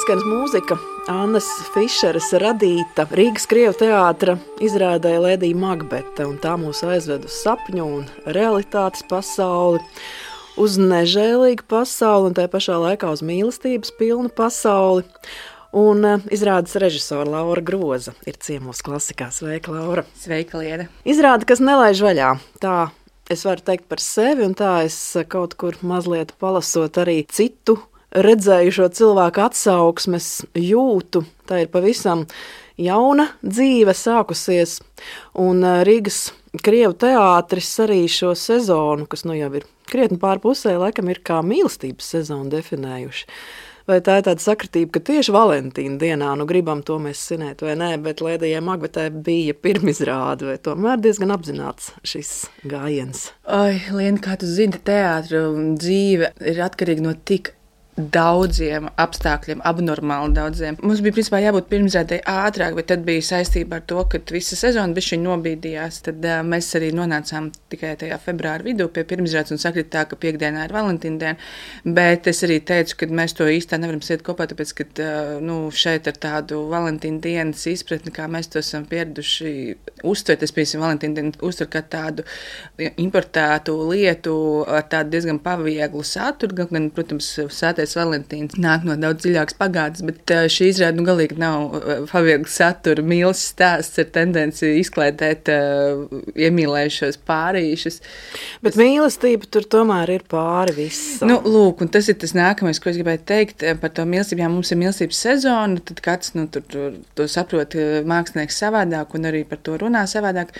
izskaņas mūzika Annas Fišeres radīta Rīgas Krievu teātra izrādē Lēdija Makbete, un tā mūs aizved uz sapņu un realitātes pasauli, uz nežēlīgu pasauli un tajā pašā laikā uz mīlestības pilnu pasauli. Un izrādes režisora Laura Groza ir ciemos klasikā. Sveika, Laura! Sveika, Lieda! Izrāde, kas nelaiž vaļā. Tā es varu teikt par sevi, un tā es kaut kur mazliet palasot arī citu redzējušo cilvēku atsauksmes jūtu. Tā ir pavisam jauna dzīve sākusies, un Rīgas Krievu teātris arī šo sezonu, kas nu jau ir krietni pār pusē, laikam ir kā mīlestības sezonu definējuši. Vai tā ir tāda sakritība, ka tieši Valentīna dienā, nu gribam to mēs svinēt vai nē, bet Lēdijai Makbetei bija pirmizrāde, vai tomēr diezgan apzināts šis gājiens? Oi, Liena, kā tu zini, teātra dzīve ir atkarīga no tik daudziem apstākļiem, abnormāli daudziem. Mums bija principā jābūt pirmizrādei ātrāk, bet tad bija saistībā ar to, ka visa sezona bišķiņ nobīdījās. Tad mēs arī nonācām tikai tajā februāra vidū pie pirmizrādes un sakrit tā, ka piekdienā ir Valentīna diena. Bet es arī teicu, ka mēs to īstā nevaram siet kopā, tāpēc, ka šeit ar tādu Valentīna dienas izpratni, kā mēs to esam pieraduši uztvert, es piemēram Valentīna dienu uztver kā tādu importētu lietu ar tādu diezgan pavieglu saturu, gan, protams, sātais Valentīns nāk no daudz dziļākas pagātnes, bet šī izrāde galīgi nav paviegla satura mīlas stāsts ar tendenci izklaidēt iemīlējušos pārīšus. Bet mīlestība tur tomēr ir pāri visam. Lūk, un tas ir tas nākamais, ko es gribēju teikt par to mīlestību. Jā, mums ir mīlestības sezona, tad kāds to saprot mākslinieks savādāk un arī par to runā savādāk.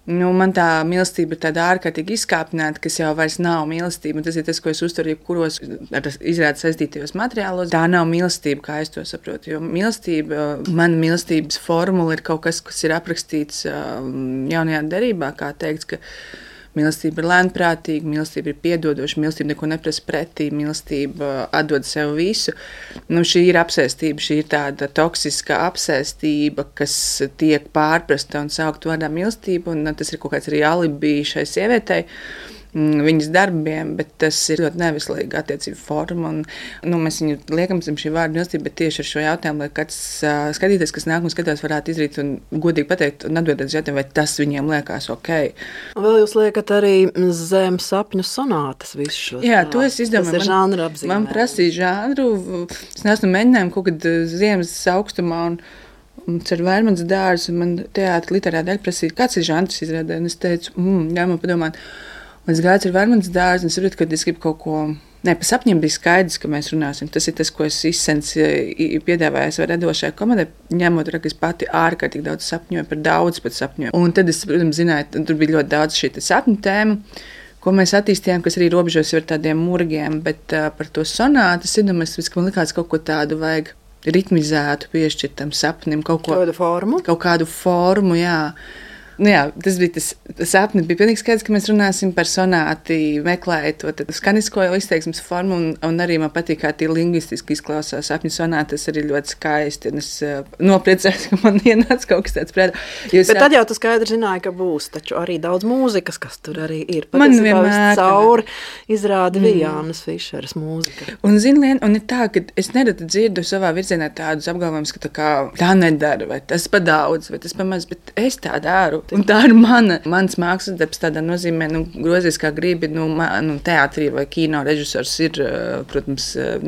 Man tā mīlestība ir tāda ārkārtīgi izkāpināta, kas jau vairs nav mīlestība, un tas ir tas, ko es uztveru jebkuros ar izrādes saistītajos materiālos. Tā nav mīlestība, kā es to saprotu, jo mana mīlestības formula ir kaut kas, kas ir aprakstīts jaunajā derībā, kā teikts, ka mīlestība ir lēnprātīga, mīlestība ir piedodoša, mīlestība neko neprasa pretī, mīlestība atdod sev visu. Šī ir apsēstība, šī ir tāda toksiska apsēstība, kas tiek pārprasta un saukt vārdā mīlestība, un tas ir kaut kāds arī alibi šai sievietei, viņas darbiem, bet tas ir ļoti neveselīga attiecība forma. Mēs viņu liekam zem šī vārda mīlestība, bet tieši ar šo jautājumu, lai kāds skatītājs, kas nāk un skatās, varētu izdarīt un godīgi pateikt un atbildēt uz jautājumu, vai tas viņiem liekas ok. Un vēl jūs liekat arī zem sapņu sonātas visu šo. Jā, to es izdomāju. Tas ir žanra apzīmē. Man prasīja žanru, es neesmu mēģinājumu kaut kad ziemas augstumā un ar Vērmanas dārzu, un man teātra literāra daļa prasīja, kāds ir žanrs izrādē, un es teicu, jā, man padomāt. Un es gāju ar Vērmanas dārzu, un es saprotu, ka es gribu kaut ko. Nē, pa sapņiem bija skaidrs, ka mēs runāsim. Tas ir tas, ko es izsens piedāvāju savai radošajai komandai, ņemot, ka es pati ārkārtīgi daudz sapņoju, par daudz pat sapņoju. Un tad es, protams, zināju, tur bija ļoti daudz šī sapņu tēma, ko mēs attīstījām, kas arī robežos ar tādiem murgiem, bet par to sonātu es iedomājos, ka man likās kaut ko tādu vajag ritmizētu, piešķirt tam sapnim, kaut kādu formu, jā. Jā, tas bija tas sapnis. Bija pilnīgi skaidrs, ka mēs runāsim par sonāti, meklējot to skanisko izteiksmes formu, un arī man patīk, kā tie lingvistiski izklausās sapņu sonāti. Tas arī ļoti skaisti, un es nopriecājos, ka man ienāca kaut kas tāds prātā. Bet tad jau tu skaidri zināji, ka būs taču arī daudz mūzikas, kas tur arī ir. Man vienmēr cauri izrāda bija Annas Fišeres mūzika. Un zini, Lien, un ir tā, ka es nereti dzirdu savā virzienā tādus apgalvojumus, ka tā nedara, vai tas pa daudz, vai tas pa maz, bet es tā daru. Un tā ir mans mākslas darbs tādā nozīmē, grozies kā gribi, teātrī vai kino režisors ir, protams,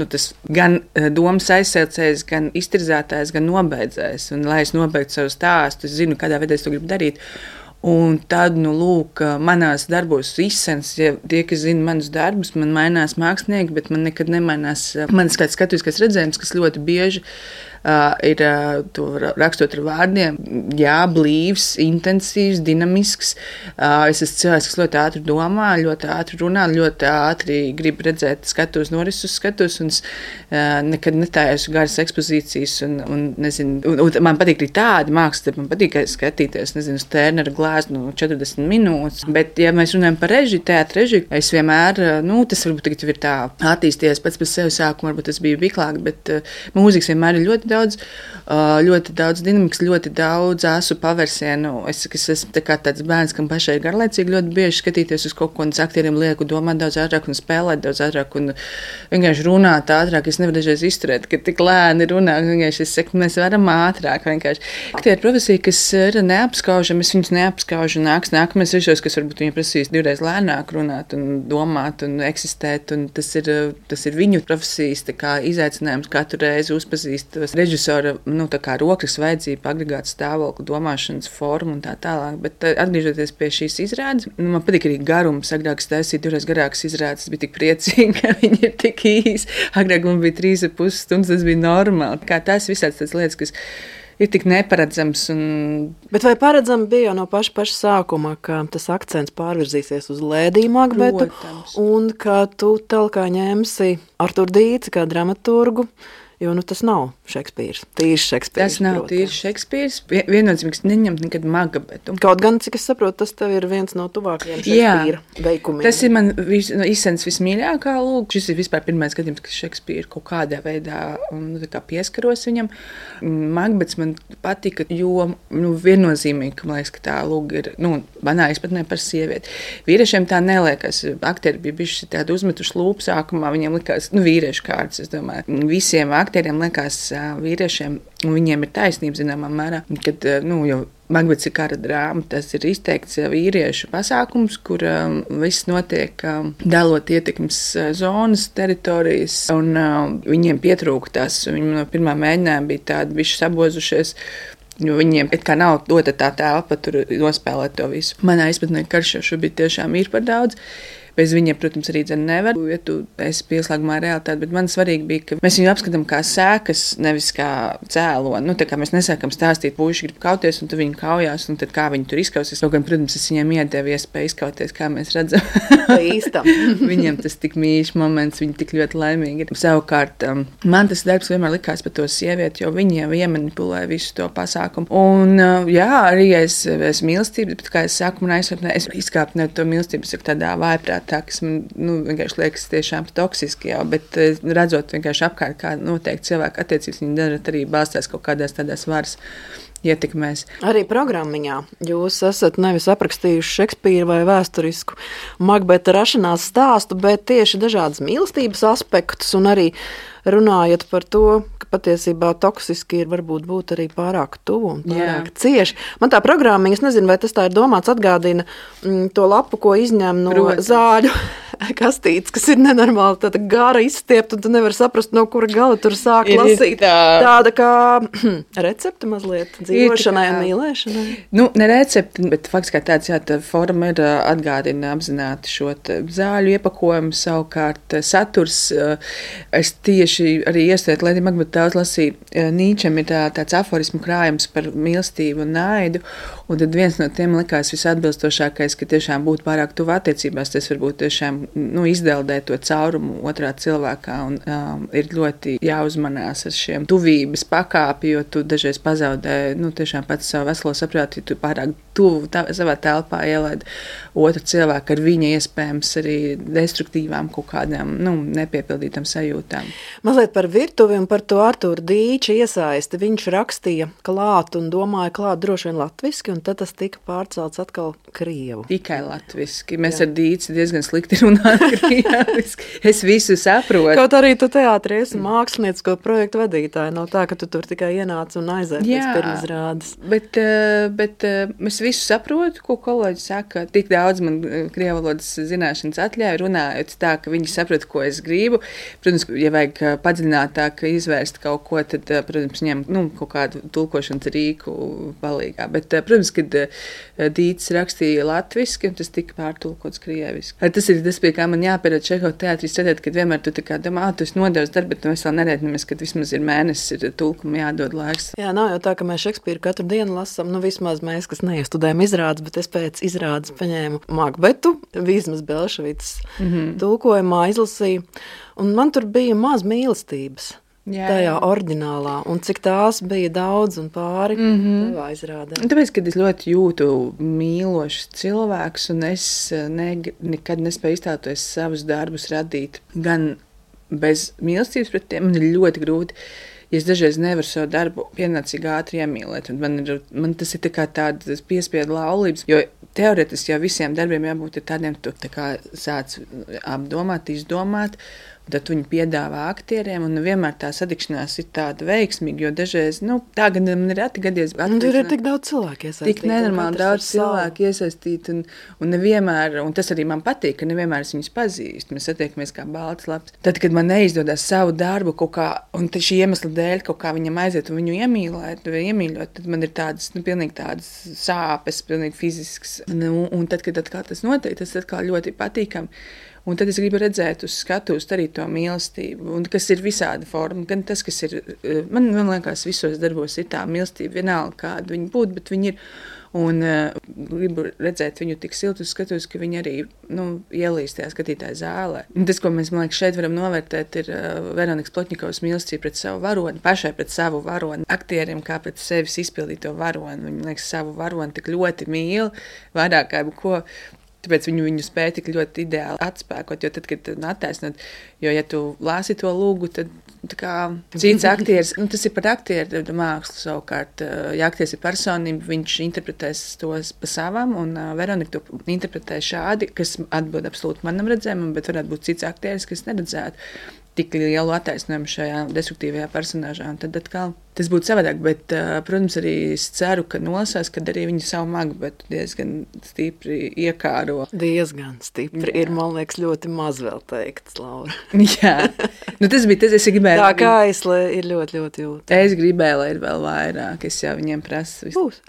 tas gan domas aizsēlcējs, gan iztirzētājs, gan nobeidzējs. Un, lai es nobeigtu savu stāstu, es zinu, kādā veidā es to gribu darīt. Un tad, manās darbos izsens, ja tie, kas zina manus darbus, man mainās mākslinieki, bet man nekad nemainās manas kāds skatuviskais redzējums, kas ļoti bieži ir to rakstot ar vārdiem, jā, blīvs, intensīvs, dinamisks. Es esmu cilvēks, kas ļoti ātri domā, ļoti ātri runā, ļoti ātri grib redzēt skatos, norises uz skatos, un nekad netājos garas ekspozīcijas, un man patīk arī tādi mākslas, man patīk skatīties, uz Tērnera glāznu 40 minūtes, bet, ja mēs runājam par režiju, teātra režiju, es vienmēr, tas varbūt tagad ir tā attīstījies pats par sevi sākumu, varbūt tas bija viklāk, bet mūzikas vienmēr ir ļoti ļoti daudz dinamikas, ļoti daudz asu pavērsienu. Es esmu tāds bērns, kam pašai ir garlaicīgi ļoti bieži skatīties uz kaut ko, un aktieriem lieku domāt daudz ātrāk un spēlēt daudz ātrāk un vienkārši runāt ātrāk. Es nevaru dažreiz izturēt, ka tik lēni runā. Vienkārši es saku, mēs varam ātrāk vienkārši. Aktieri profesija, kas ir neapskaužama, es viņus neapskaužu. Nākamais režisors, kas varbūt viņu prasīs divreiz lēnāk runāt un domāt un eksistēt, un tas ir viņu profesijas izaicinājums katru reizi uzpazīst režisora rokas vajadzību, agregātu stāvokli, domāšanas formu un tā tālāk. Bet atgriežoties pie šīs izrādes, man patīk arī garums. Agrāk es taisīju divreiz garākas izrādes, es biju tik priecīga, ka viņi ir tik īsi. Agrāk man bija 3,5 stundas, tas bija normāli. Kā tās visādas tādas lietas, kas ir tik neparedzams. Bet vai paredzami bija jau no paša sākuma, ka tas akcents pārvirzīsies uz Lēdiju Makbetu, un ka tu telkā ņemsi Arturu Dīci kā dramaturgu? Jo tas nav Šekspīrs. Tīrs Šekspīrs. Tas nav tīrs Šekspīrs. Viennozīmīgs neņemt nekad Makbetu. Kaut gan, cik es saprotu, tas tev ir viens no tuvākajiem Šekspīra veikumiem. Tas ir man izsens vismīļākā lūk. Šis ir vispār pirmais gadījums, ka Šekspīra kaut kādā veidā pieskaros viņam. Makbets man patika, jo viennozīmīgi, man liekas, ka tā lūk ir, manā izpratnē par sievieti. Vīriešiem tā neliekas. Aktieri bija bijuši tādi uzmetuši lūpu sākumā, viņiem likās, vīriešu kārtas, es domāju. Visiem aktieriem liekas vīriešiem, un viņiem ir taisnība zināmā mērā, kad, jau Makbets ir kara drāma, tas ir izteikts vīriešu pasākums, kur viss notiek dalot ietekmes zonas, teritorijas, un viņiem pietrūka tas, viņi no pirmā mēģinājuma bija tādi bišķi sabozušies, jo viņiem it kā nav dota tā telpa tur nospēlēt to visu. Manā izpratnē karš jau šobrīd tiešām ir par daudz. Bez viņiem, protams, arī nevar, ja tu esi pieslēgumā realitāte, bet man svarīgi bija, ka mēs viņu apskatām kā sēkas, nevis kā cēloni. Tā kā mēs nesākam stāstīt, puiši grib kauties, un tu viņu kaujās, un tad kā viņi tur izkausies. Kaut gan, protams, es viņiem iedevu iespēju izkauties, kā mēs redzam. Īstam. Viņiem tas tik mīļš moments, viņi tik ļoti laimīgi ir. Savukārt, man tas darbs vienmēr likās par to sievieti, jo viņi jau iemanipulē visu to pasākumu. Un, arī es mīlestību, bet kā es saku, man aizsvarnē, es izkāpu ne to mīlestību, es tādā vājprāt. Tas man vienkārši liekas tiešām toksiski jau, bet redzot vienkārši apkārt, kā noteikti cilvēku attiecības, viņi dažreiz arī balstās kaut kādās tādās varas ietekmēs. Arī programmiņā jūs esat nevis aprakstījuši Šekspīra vai vēsturisku Makbeta rašanās stāstu, bet tieši dažādas mīlestības aspektus un arī runājat par to, ka patiesībā toksiski ir varbūt būt arī pārāk tuvu un pārāk cieši. Man tā programmiņa, es nezinu, vai tas tā ir domāts, atgādina to lapu, ko izņem no zāļu kastītes, kas ir nenormāli tāda gara izstiept, un tu nevari saprast, no kura gala tur sāk lasīt. Tāda kā recepte mazliet dzīvošanai un mīlēšanai. Ne recepte, bet fakts kā tāds, tā forma ir atgādina apzināti šo zāļu iepakojumu, savukārt saturs. Es tieši arī iestēt Lēdija Makbeta daudz lasīju. Nīčam ir tāds aforismu krājums par mīlestību un naidu, un tad viens no tiem likās visatbilstošākais, ka tiešām būt pārāk tuvu attiecībās, tas varbūt tiešām izdeldēt to caurumu otrā cilvēkā, un ir ļoti jāuzmanās ar šiem tuvības pakāpi, jo tu dažreiz pazaudē, tiešām pats savu veselo saprātu, ja tu pārāk tuvu savā telpā ielaid otru cilvēku ar viņa iespējams arī destruktīvām kaut kādām, nepiepildītām sajūtām. Mazliet par virtuvi un par to Arturu Dīča iesaisti. Viņš rakstīja klāt un domāja klāt droši vien latviski, un tad tas tika pārcelts atkal krievu. Tikai latviski. Mēs ar Dīci diezgan slikti runājam krieviski. Es visu saprotu. Kaut arī tu teātrī esi māksliniecisko projektu vadītāja. Nav tā, ka tu tur tikai ienāc un aiziet pēc pirmizrādes. Bet es visu saprotu, ko kolēģi saka. Tik daudz man krievalodas zināšanas atļauj runājot tā, ka viņi saprot, ko es gribu. Protams, ja vajag padziļinātāk izvērst kaut ko, tad, protams, ņem kaut kādu tulkošanas rīku palīgā. Bet, protams, kad Dīcis rakstīja latviski, un tas tika pārtulkots krieviski. Tas ir tas, pie kā man jāpierod Čehova teātrī strādāt, kad vienmēr tu tā kā domā, tu esi nodevis darbu, bet mēs vēl nerēķinamies, kad vismaz ir mēnesis, ir tulkumu jādod laiks. Jā, nav jau tā, ka mēs Šekspīru katru dienu lasām, vismaz mēs, kas neiestudējam izrādes, bet es pēc izrādes paņēmu Makbetu, Vīzmas Belševicas tulkojumā izlasīju, un man tur bija maz mīlestības. Tajā oriģinālā, un cik tās bija daudz un pāri tevā izrādē. Tāpēc, kad es ļoti jūtu mīlošs cilvēks, un es nekad nespēju iztēloties savus darbus radīt gan bez mīlestības pret tiem, man ir ļoti grūti, ja es dažreiz nevaru savu darbu pienācīgi ātri iemīlēt, un man tas ir tā kā tādas piespiedu laulības, jo teoretiski jau visiem darbiem jābūt tādiem, tu tā kā sāc apdomāt, izdomāt, un tad viņi piedāvā aktieriem, un vienmēr tā sadikšanās ir tāda veiksmīga, jo dažreiz, tā gan man ir reti gadies. Tur ir tik daudz cilvēku iesaistīti. Tik nenormāli daudz cilvēku iesaistīti, un nevienmēr, un tas arī man patīk, ka nevienmēr es viņus pazīstu. Mēs satiekamies kā balts laps. Tad, kad man neizdodas savu darbu kaut kā, un šī iemesla dēļ kaut kā viņam aiziet un viņu iemīlēt, tad man ir tādas, pilnīgi tādas sāpes, pilnīgi fizisks. Un tad, kad atkal tas notiek, tas atkal ļoti patīkami. Un tad es gribu redzēt uz skatuves arī to mīlestību, un kas ir visāda forma, gan tas, kas ir, man liekas, visos darbos ir tā mīlestība, vienalga kāda viņi būtu, bet viņi ir, un gribu redzēt viņu tik siltu uz skatuves, ka viņi arī, ielīst tajā skatītāja zālē. Un tas, ko mēs, man liekas, šeit varam novērtēt, ir Veronikas Plotņikovas mīlestība pret savu varoni, pašai pret savu varoni, aktieriem kā pret sevis izpildīto varoni. Viņi, liekas, savu varoni tik ļoti mīl, vairāk kā ko. Tāpēc viņu spēja tik ļoti ideāli atspēkot, jo tad, kad attaisnot, jo, ja tu lāsi to lūgu, tad tā kā cits aktieris, tas ir par aktieru mākslu savukārt, ja aktieris ir personība, viņš interpretēs tos pa savam, un Veronika to interpretē šādi, kas atbild absolūti manam redzējumam, bet varētu būt cits aktieris, kas neredzētu tik lielu attaisnojumu šajā destruktīvajā personāžā, un tad atkal tas būtu savādāk, bet, protams, arī es ceru, ka nolasās, kad arī viņi savu Makbetu diezgan stipri iekāro. Diezgan stipri. Jā. Ir, man liekas, ļoti maz vēl teikts, Laura. Jā. Tas bija tas, es gribēju. Tā kā aizlē ir ļoti, ļoti jūtama. Es gribēju, lai ir vēl vairāk, es jau viņiem prasu. Būs.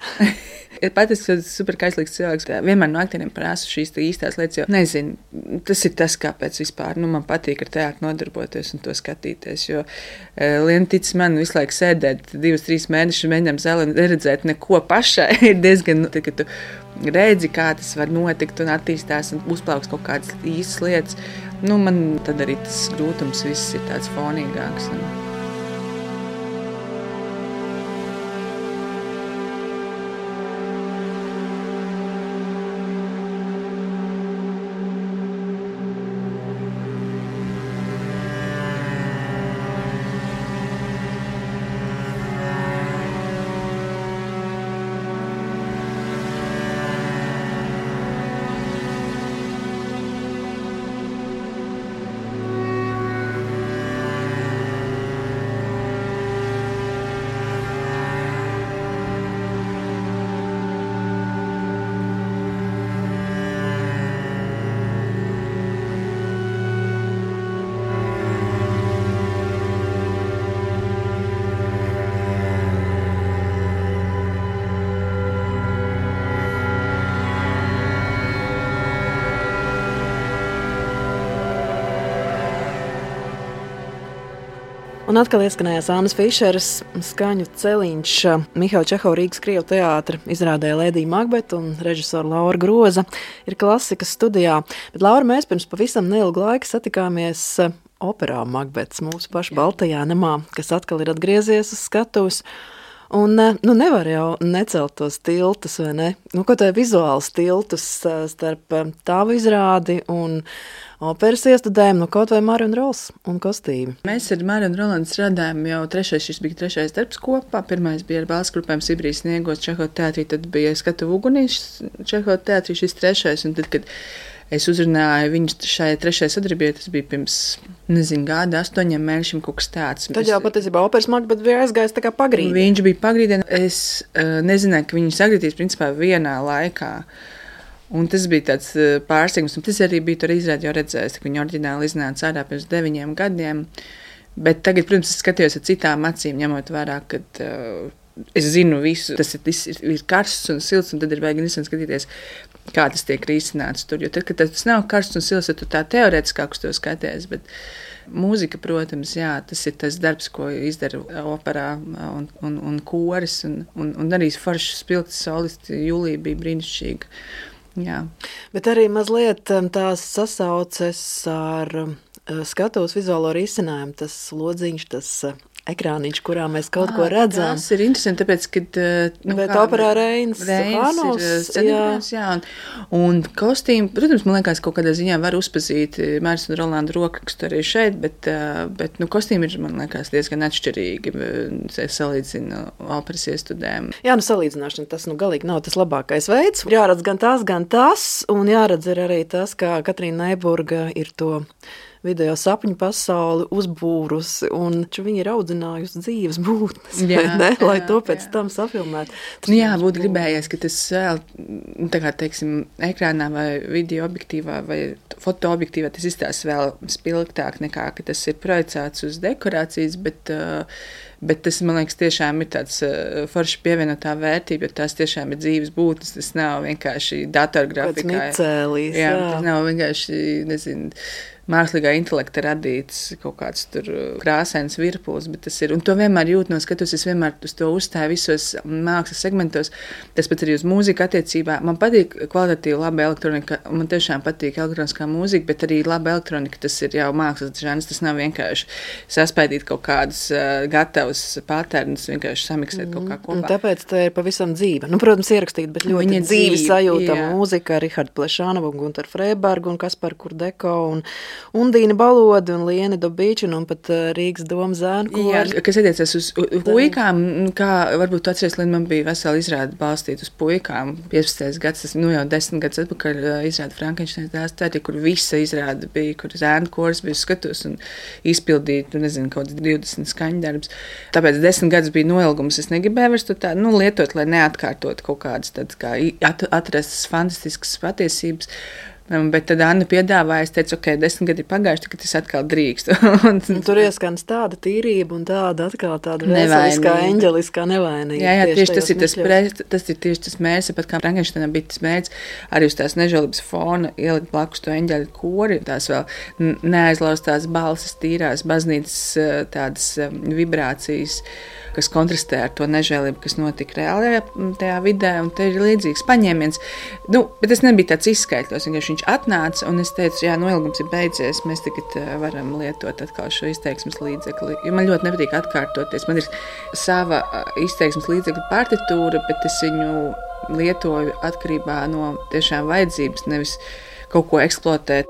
Pat es esmu super kaislīgs cilvēks. Vienmēr no aktieriem prasu šīs īstās lietas, jo nezinu, tas ir tas, kāpēc vispār, man patīk ar teātru nodarboties un to skatīties, jo Liena tic man visu laiku sēdēt 2-3 mēnešus mēģinām zālē neredzēt neko pašai. Ir diezgan, ka tu redzi, kā tas var notikt un attīstās un uzplauks kaut kādas īstas lietas. Man tad arī tas grūtums viss ir tāds fonīgāks. Un atkal ieskanējās Annas Fišeras skaņu celiņš Mihaila Čehova Rīgas Krievu teātra izrādē Lēdija Makbeta un režisora Laura Groza ir klasikas studijā. Bet, Laura, mēs pirms pavisam neilgu laiku satikāmies operā Makbets mūsu pašu Baltajā namā, kas atkal ir atgriezies uz skatuves. Un nevar jau necelt tos tiltus, vai ne? Ko tā vizuāls tiltus starp tavu izrādi un operas iestudējumu, kaut vai Mariju un Rols un kostīmi. Mēs ar Mariju un Rolandu strādājam jau šis bija trešais darbs kopā. Pirmais bija ar balss grupēm Sibrijas Sniegos Čehova teātrī, tad bija Skatuvu ugunīs Čehova teātrī šis trešais, un tad, kad es uzrunāju viņus šajā trešajā sadarbībā, tas bija pirms, gada 8 mēnešiem kaut kas tāds. Tad jau patiesībā operas Makbets bija aizgājis tā kā pagrīdē. Viņš bija pagrīdē. Es nezināju, ka viņi sagrietīs principā vienā laikā. Un tas bija tāds pārsteigums. Tas arī bija tur izrādi jau redzējis, ka viņi oriģināli iznāca ārā pirms 9 gadiem. Bet tagad, protams, es skatījos ar citām acīm, ņemot vērā, ka es zinu visu. Tas ir karsts un silts, un tad ir vajag skatīties, kā tas tiek risināts tur. Jo tad, kad tas nav karsts un silts, tad tu tā teorētiskāk uz to skaties. Bet mūzika, protams, jā, tas ir tas darbs, ko izdara operā un koris. Un arī foršs spilgts solisti Julija bija brīnišķīga. Jā. Bet arī mazliet tās sasauces ar skatuves vizuālo risinājumu, tas lodziņš, tas ekrāniņš, kurā mēs kaut ko redzam. Tas ir interesanti, tāpēc, kad... Bet operā Reinis ir scenogrāfs, jā. Un kostīmi, protams, man liekas, kaut kādā ziņā var uzpazīt Māris un Rolanda rokrakstu arī šeit, bet kostīmi ir, man liekas, diezgan atšķirīgi, salīdzina operas iestudēm. Jā, salīdzināšana tas, galīgi nav tas labākais veids. Jāredz gan tas, un jāredz arī tas, kā Katrīna Neiburga ir to video sapņu pasauli uzbūrusi, un viņi ir audzinājusi dzīves būtnes, lai to pēc tam safilmētu. Būtu gribējies, ka tas vēl, tā kā, teiksim, ekrānā vai video objektīvā vai fotoobjektīvā tas izstāsta vēl spilgtāk nekā, ka tas ir projicēts uz dekorācijas, bet tas, man liekas, tiešām ir tāds forši pievienotā vērtība, jo tās tiešām ir dzīves būtnes, tas nav vienkārši datorgrafikā. Pēc micēlīs, jā. Tas nav vienkārši, nezinu, mākslīgā intelekta radīts kaut kāds tur krāsains virpulis, bet tas ir, un to vienmēr jūt no skatos, es vienmēr uz to uzstāju visos mākslas segmentos, tas pat arī uz mūziku attiecībā. Man patīk kvalitatīva laba elektronika, man tiešām patīk elektroniskā mūzika, bet arī laba elektronika, tas ir jau mākslas žanrs, tas nav vienkārši saspēdīt kaut kādus gatavus patērnus, vienkārši samiksēt kaut kā kopā. Un tāpēc tā ir pavisam dzīva. Protams, ierakstīt, bet ļoti dzīvi sajūtama mūzika, Riharda Plešānova, Gunter Freiberga un Kaspar Kurdeko un Undīna Balodi un Liene Dobīčina un pat Rīgas Doma zēnu kori. Jā, kas attiecas uz puikām, kā varbūt tu atceries, man bija vesela izrāde balstīt uz puikām. 15. gads, tas jau 10 gadus atpakaļ izrāde Frankensteina dēls tēti, kur visa izrāde bija, kur zēnu koris bija skatus un izpildīt, nezinu, kaut 20 skaņdarbs. Tāpēc 10 gadus bija noilgums. Es negribēju vairs to tā, lietot, lai neatkārtot kaut kādas tādas kā atrastas fantastiskas patiesības. Bet tad Anna piedāvāja, es teicu, 10 gadi ir pagājuši, kad es atkal drīkstu. Tur ieskans tāda tīrība un tāda atkal tāda veseliskā, eņģeliskā nevainība. Jā, tieši tas ir tieši tas mērķis, pat kā Frankensteinā bija tas mērķis, arī uz tās nežēlības fona ielikt blakus to eņģeļu kori, tās vēl neaizlaustās balsis, tīrās baznīcas tādas vibrācijas, kas kontrastē ar to nežēlību, kas notika reālajā tajā vidē, un te ir līdzīgs paņēmiens. Bet tas nebija tāds izskaitļos, viņš atnāca, un es teicu, noilgums ir beidzies, mēs tagad varam lietot atkal šo izteiksmes līdzekli, jo man ļoti nepatīk atkārtoties. Man ir sava izteiksmes līdzekļa partitūra, bet es viņu lietoju atkarībā no tiešām vajadzības, nevis kaut ko eksploatēt.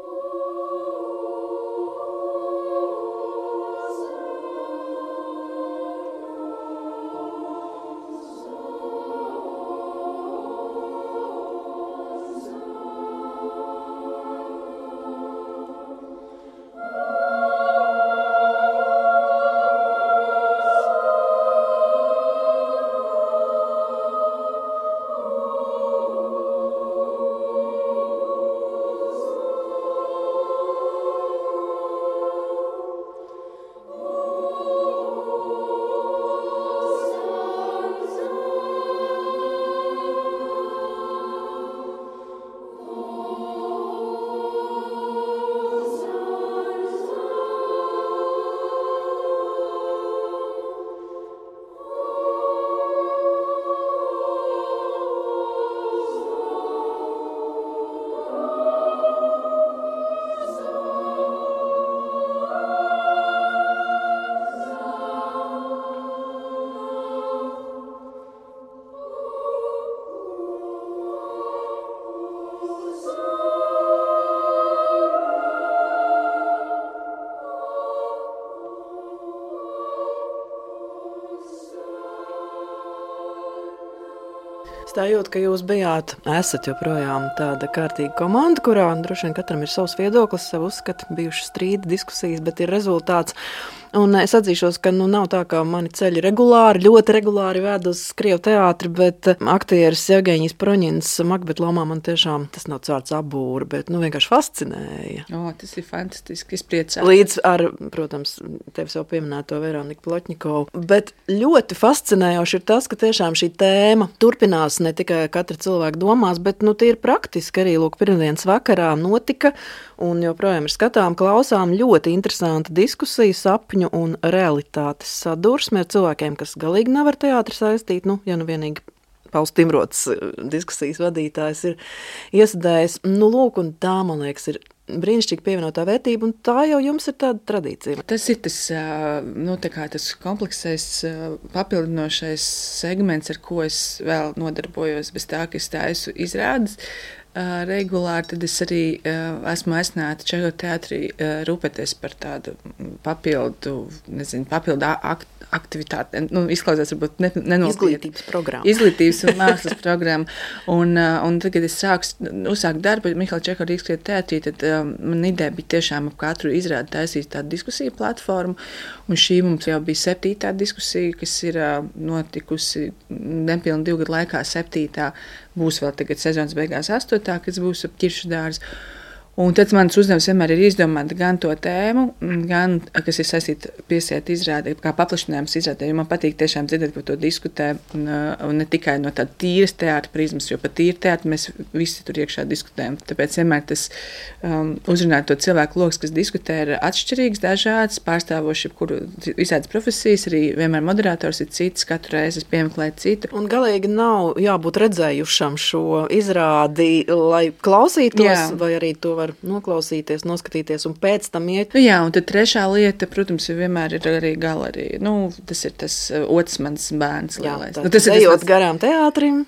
Es tā jūtu, ka jūs esat joprojām tāda kārtīga komanda, kurā droši vien katram ir savs viedoklis, savu uzskatu, bijuši strīdi, diskusijas, bet ir rezultāts. Un es atzīšos, ka nav tā, ka mani ceļi ļoti regulāri ved uz Krievu teātri, bet aktieris Jevgeņijs Proņins Makbeta lomā man tiešām, tas nav cārts abūra, bet vienkārši fascinēja. Tas ir fantastiski, es priecājos. Līdz ar, protams, tevis jau pieminēto Veroniku Plotņikovu. Bet ļoti fascinējoši ir tas, ka tiešām šī tēma turpinās ne tikai katra cilvēka domās, bet tīri praktiski arī pirmdienas vakarā notika un joprojām ir skatām, klausām ļoti interesanta diskusija, sapņu un realitātes sadursme ar cilvēkiem, kas galīgi nav ar teātri saistīt, ja vienīgi Pauls Timrots, diskusijas vadītājs, ir iesadējis. Lūk, un tā, man liekas, ir brīnišķīga pievienotā vērtība, un tā jau jums ir tāda tradīcija. Tas ir tas, tas kompleksais, papildinošais segments, ar ko es vēl nodarbojos, bez tā, ka es taisu izrādes regulāri, tad es arī esmu aicināta Čehijas teātrī rūpēties par tādu papildu aktivitāti. Izklausās varbūt Izglītības programmu. Izglītības un mākslas programmu. Un tad, kad es uzsāku darbu Mihaila Čehova Rīgas teātrī, tad man ideja bija tiešām ap katru izrādi taisīt tādu diskusiju platformu. Un šī mums jau bija 7. diskusija, kas ir notikusi nepilni 2 gadu laikā 7. Būs vēl tagad sezonas beigās 8. kas būs ap ķiršu dārzu. Un tad mans uzdevums vienmēr ir izdomāt gan to tēmu, gan, kas ir saistīta piesiet izrādē, kā paplašinājums izrādē, jo man patīk tiešām dzirdēt, par to diskutē, un ne tikai no tāda tīras teātra prizmas, jo par tīru teātru mēs visi tur iekšā diskutējam. Tāpēc vienmēr tas uzrunāt to cilvēku lokus, kas diskutē, ir atšķirīgs, dažāds, pārstāvoši kuru visādas profesijas, arī vienmēr moderators ir cits, katru reizi es piemeklēju citu. Un galīgi nav jābūt redzējušam šo izrādi, lai klausītos, vai arī to var noklausīties, noskatīties un pēc tam iet. Jā, un tad trešā lieta, protams, vienmēr ir arī galerija. Tas ir tas otrs mans bērns lielais. Tas ir ejot garām teātrim,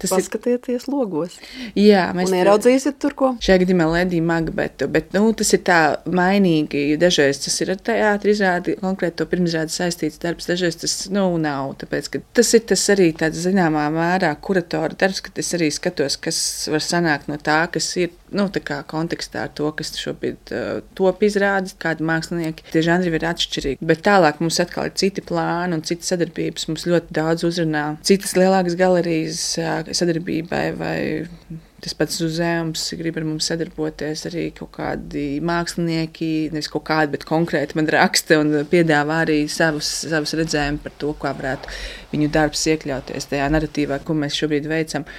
paskatieties logos. Jā, un ieraudzīsiet tur ko? Šajā gadījumā Ledija Magbetu, bet tas ir tā mainīgi. Dažreiz tas ir ar teātri izrādi, konkrēti to pirmizrādi saistīts darbs, dažreiz tas nav. Tāpēc, ka tas ir tas arī tāds zināmā mērā kuratora darbs, kad es arī skatos, kas var sanākt no tā, kas ir tā kā kontekstā ar to, kas šobrīd top izrādes, kādi mākslinieki. Tie žanri ir atšķirīgi. Bet tālāk mums atkal ir citi plāni un citas sadarbības. Mums ļoti daudz uzrunā citas lielākas galerijas sadarbībai vai tas pats uzņēmums grib ar mums sadarboties. Arī kaut kādi mākslinieki, nevis kaut kādi, bet konkrēti man raksta un piedāvā arī savus redzējumus par to, kā varētu viņu darbs iekļauties tajā narratīvā, ko mēs šobrīd veicam.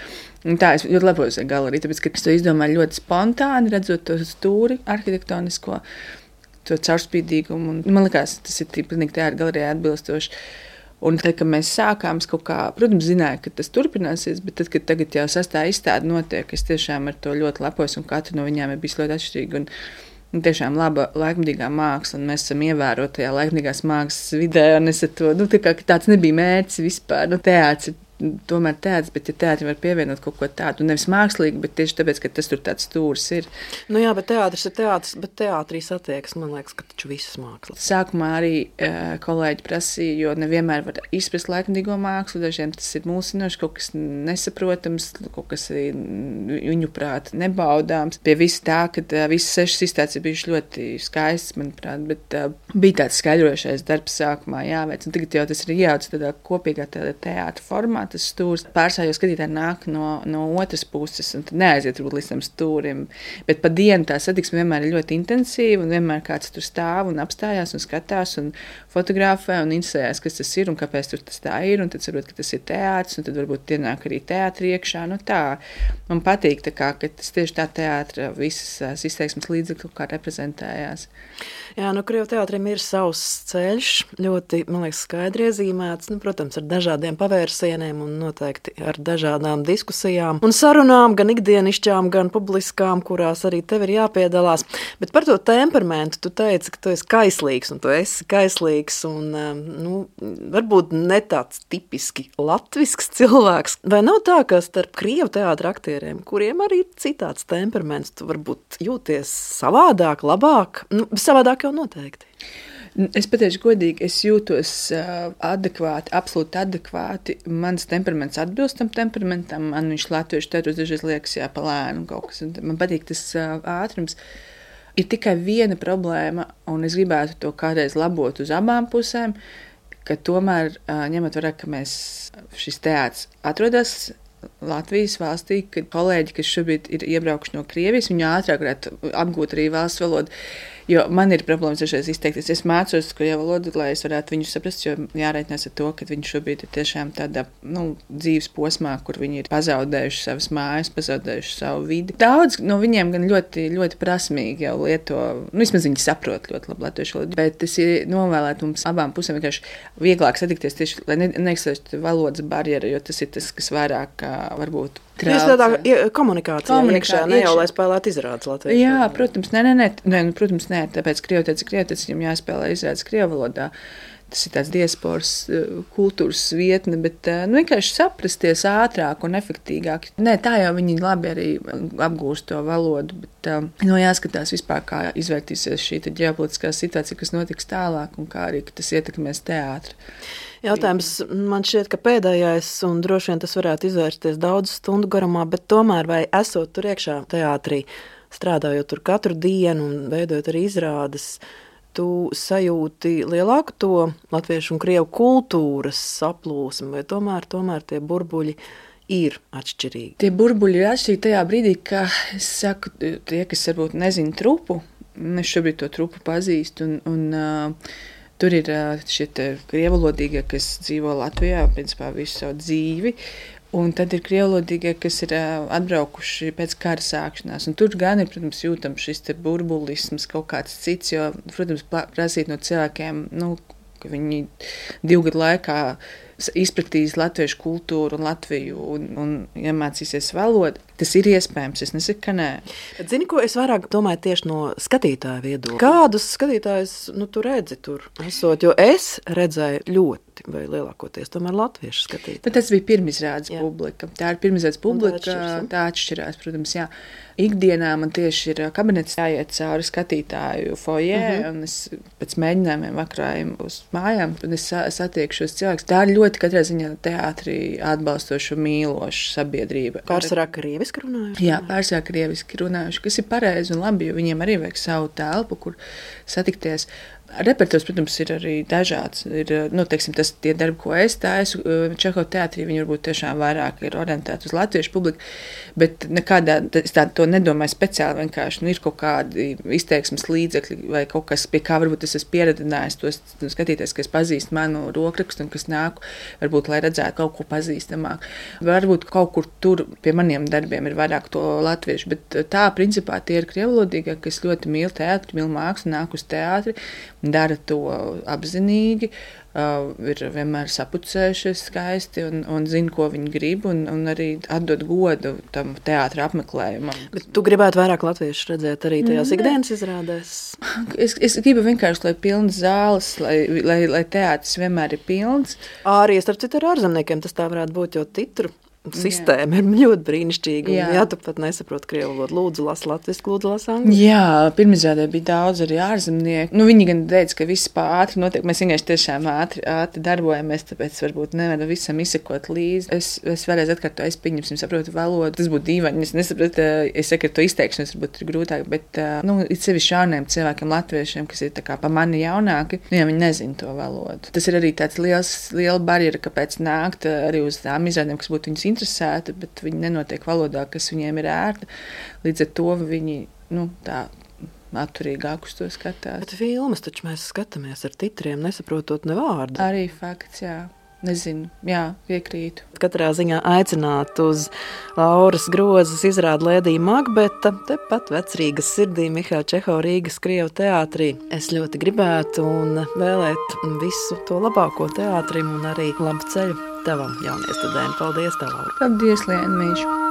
Un tā es ļoti lepojos ar galeriju, tāpēc, ka es to izdomāju ļoti spontāni, redzot to stūri arhitektonisko, to caurspīdīgumu. Un man liekas, tas ir pilnīgi teātra galerijai atbilstoši. Un tad, kad mēs sākām, es kaut kā, protams, zināju, ka tas turpināsies, bet tad, kad tagad jau 6. izstāde notiek, es tiešām ar to ļoti lepojos, un katra no viņām ir bijis ļoti atšķirīga. Un tiešām laba laikmatīgā māksla, un mēs esam ievērotajā laikmatīgās mākslas vidē, un es ar to, tāds nebija mērķis vispār, teātris ir tomēr teātris, bet ja teātrim var pievienot kaut ko tādu, nevis mākslīgi, bet tieši tāpēc, ka tas tur tāds stūris ir. Jā, bet teātris ir teātris, bet teātrī satiekas, man liekas, ka taču visas mākslas. Sākumā arī kolēģi prasīja, jo nevienmēr var izprast laikmatīgo mākslu, dažiem tas ir mulsinoši, kaut kas nesaprotams, kaut kas arī viņu prāt nebaudāms. Pie visa tā, kad visas 6 izstādes ir bijušas ļoti skaistas, manuprāt, bet bija tāds skaidrojošais darbs sākumā jāveic, un tagad jau tas ir ieaudzis tādā kopīgā teātra formā. Tas stūrs pārstāvju skatītāji nāk no otras puses un tad neaiziet līdz tam stūrim. Bet pa dienu tā satiksme vienmēr ir ļoti intensīva un vienmēr kāds tur stāv un apstājās un skatās un fotografē un interesējās, kas tas ir un kāpēc tur tas tā ir. Un tad saprot, ka tas ir teātris un tad varbūt ienāk arī teātri iekšā. Tā. Man patīk, ka tas tieši tā teātra visas izteiksmes līdzekļu kā reprezentējās. Jā, Krievu teātrim ir savs ceļš, ļoti, man liekas, skaidri iezīmēts, protams, ar dažādiem pavērsieniem un noteikti ar dažādām diskusijām un sarunām, gan ikdienišķām, gan publiskām, kurās arī tev ir jāpiedalās. Bet par to temperamentu tu teici, ka tu esi kaislīgs, un tu esi kaislīgs un, varbūt ne tāds tipiski latvisks cilvēks. Vai nav tā, ka starp Krievu teātra aktieriem, kuriem arī ir citāds temperaments, tu varbūt jūties savādāk, labāk? Savādāk jau noteikti. Es pateikšu godīgi, es jūtos adekvāti, absolūti adekvāti. Mans temperaments atbilst tam temperamentam. Man viņš latviešu teātros dažreiz liekas pa lēnu kaut kas. Man patīk tas ātrums. Ir tikai viena problēma, un es gribētu to kādreiz labot uz abām pusēm, ka tomēr ņemot vērā, ka šis teātris atrodas Latvijas valstī, kad kolēģi, kas šobrīd ir iebraukuši no Krievijas, viņi ātrāk varētu apgūt arī valsts valodu. Jo man ir problēmas dažreiz izteikties. Es mācos Krievu valodu, lai es varētu viņus saprast, jo jārēķinās ar to, ka viņi šobrīd ir tiešām tādā dzīves posmā, kur viņi ir pazaudējuši savas mājas, pazaudējuši savu vidi. Daudz no viņiem gan ļoti, ļoti prasmīgi jau lieto, vismaz viņi saprot ļoti labi latviešu valodu, bet tas ir novēlēt mums abām pusēm vienkārši vieglāk satikties tieši, lai neeksistētu valodas barjera, jo tas ir tas, kas vairāk varbūt Jūs tādā komunikācijā iekšā, ne jau lai spēlētu izrādes latviešu. Jā, protams, protams, nē, tāpēc krievoteicis, viņam jāspēlē izrādes krievu valodā. Tas ir tāds diasporas kultūras vietne, bet vienkārši saprasties ātrāk un efektīgāk. Nē, tā jau viņi labi arī apgūst to valodu, bet jāskatās vispār, kā izvērtīsies šī ģeopolitiskā situācija, kas notiks tālāk un kā arī tas ietekmēs teātri. Jautājums man šķiet, ka pēdējais, un droši vien tas varētu izvērsties daudz stundu garumā, bet tomēr vai esot tur iekšā teātrī, strādājot tur katru dienu un veidojot arī izrādes, tu sajūti lielāku to latviešu un krievu kultūras saplūsmu, vai tomēr tie burbuļi ir atšķirīgi? Tie burbuļi ir atšķirīgi tajā brīdī, ka es saku, tie, kas varbūt nezina trupu, es šobrīd to trupu pazīstu, un tur ir šie krievulodīgie, kas dzīvo Latvijā, principā visu savu dzīvi, un tad ir krievulodīgie, kas ir atbraukuši pēc kara sākšanās. Un tur gan ir, protams, jūtams šis burbulisms, kaut kāds cits, jo, protams, prasīt no cilvēkiem, ka viņi 2 gadu laikā izpratīs latviešu kultūru un Latviju un iemācīsies valodu. Tas ir iespējams, es nesaku, ka nē. Bet zini, ko es vairāk domāju tieši no skatītāja viedokļa? Kādus skatītājus tu redzi tur esot? Jo es redzēju ļoti, vai lielākoties tomēr latviešu skatītāju. Bet tas bija pirmizrādes publika. Tā ir pirmizrādes publika, tā atšķirās, protams, jā. Ikdienā man tieši ir kabinets jāiet cauri skatītāju fojē, un es pēc mēģinājumiem vakarājiem uz mājām, un es satieku šos cilvēkus. Tā ir ļoti katrā ziņā teātrī atbalstoša, mīloša sabiedrība. Pārsvarā krieviski runājuši? Jā, pārsvarā krieviski runājuši, kas ir pareizi un labi, jo viņiem arī vajag savu telpu, kur satikties. Repertuārs, protams, ir arī dažāds. Ir, teiksim, tie darbi, ko es taisu, Čehova teātrī, viņi varbūt tiešām vairāk ir orientēti uz latviešu publiku, bet nekādā, es to nedomāju speciāli, vienkārši, ir kaut kādi izteiksmes līdzekļi vai kaut kas, pie kā varbūt es esmu pieredinājis tos skatīties, kas pazīst manu rokrakstu un kas nāku, varbūt, lai redzētu kaut ko pazīstamāk. Varbūt kaut kur tur pie maniem darbiem ir vairāk to latviešu, bet tā, principā, tie ir krievulodīgie, kas ļoti mīl teātri, mīl mākslu, nāk uz teātri, dara to apzinīgi, ir vienmēr sapucējušies skaisti un zina, ko viņi grib, un arī atdod godu tam teātra apmeklējumam. Bet tu gribētu vairāk latviešu redzēt arī tajās ikdienas izrādēs? Es gribu vienkārši, lai pilnas zāles, lai teātris vienmēr ir pilns. Arī, starp citu, ar ārzemniekiem tas tā varētu būt, jo titru sistēma ir ļoti brīnišķīga. Jā, tu pat nesaproti krievu valodu. Lūdzu, las latviski, lūdzu, las angļu. Jā, pirmizrādē bija daudz arī ārzemnieku. Viņi gan teica, ka viss ātri notiek. Mēs vienkārši tiešām ātri darbojamies, tāpēc varbūt nevaram visam izsekot līdzi. Es vēlreiz atkārtoju, es pieņemsim, saprotu valodu. Tas būtu dīvaini. Es nesaprotu, es saku, to izteikšanas varbūt ir grūtāk, bet ir sevišķi jauniem cilvēkiem, latviešiem, kas ir tā kā pa mani jaunāki, ja viņi nezina to valodu. Tas ir arī tāds liela barjera, kāpēc nākt arī uz tām izrādēm, kas būtu viņus interesēti, bet viņi nenotiek valodā, kas viņiem ir ērta. Līdz ar to viņi tā atturīgāk uz to skatās. Bet filmas taču mēs skatāmies ar titriem, nesaprotot ne vārdu. Arī fakts, jā. Nezinu, jā, piekrītu. Katrā ziņā aicināt uz Lauras Grozas izrādi Lēdija Makbeta, tepat Vecrīgas sirdī Mihaila Čehova Rīgas Krievu teātrī. Es ļoti gribētu un vēlēt visu to labāko teātrim un arī labu ceļu tavam jauniestudējiem. Paldies, tev, Laura. Paldies, Liena Mīša.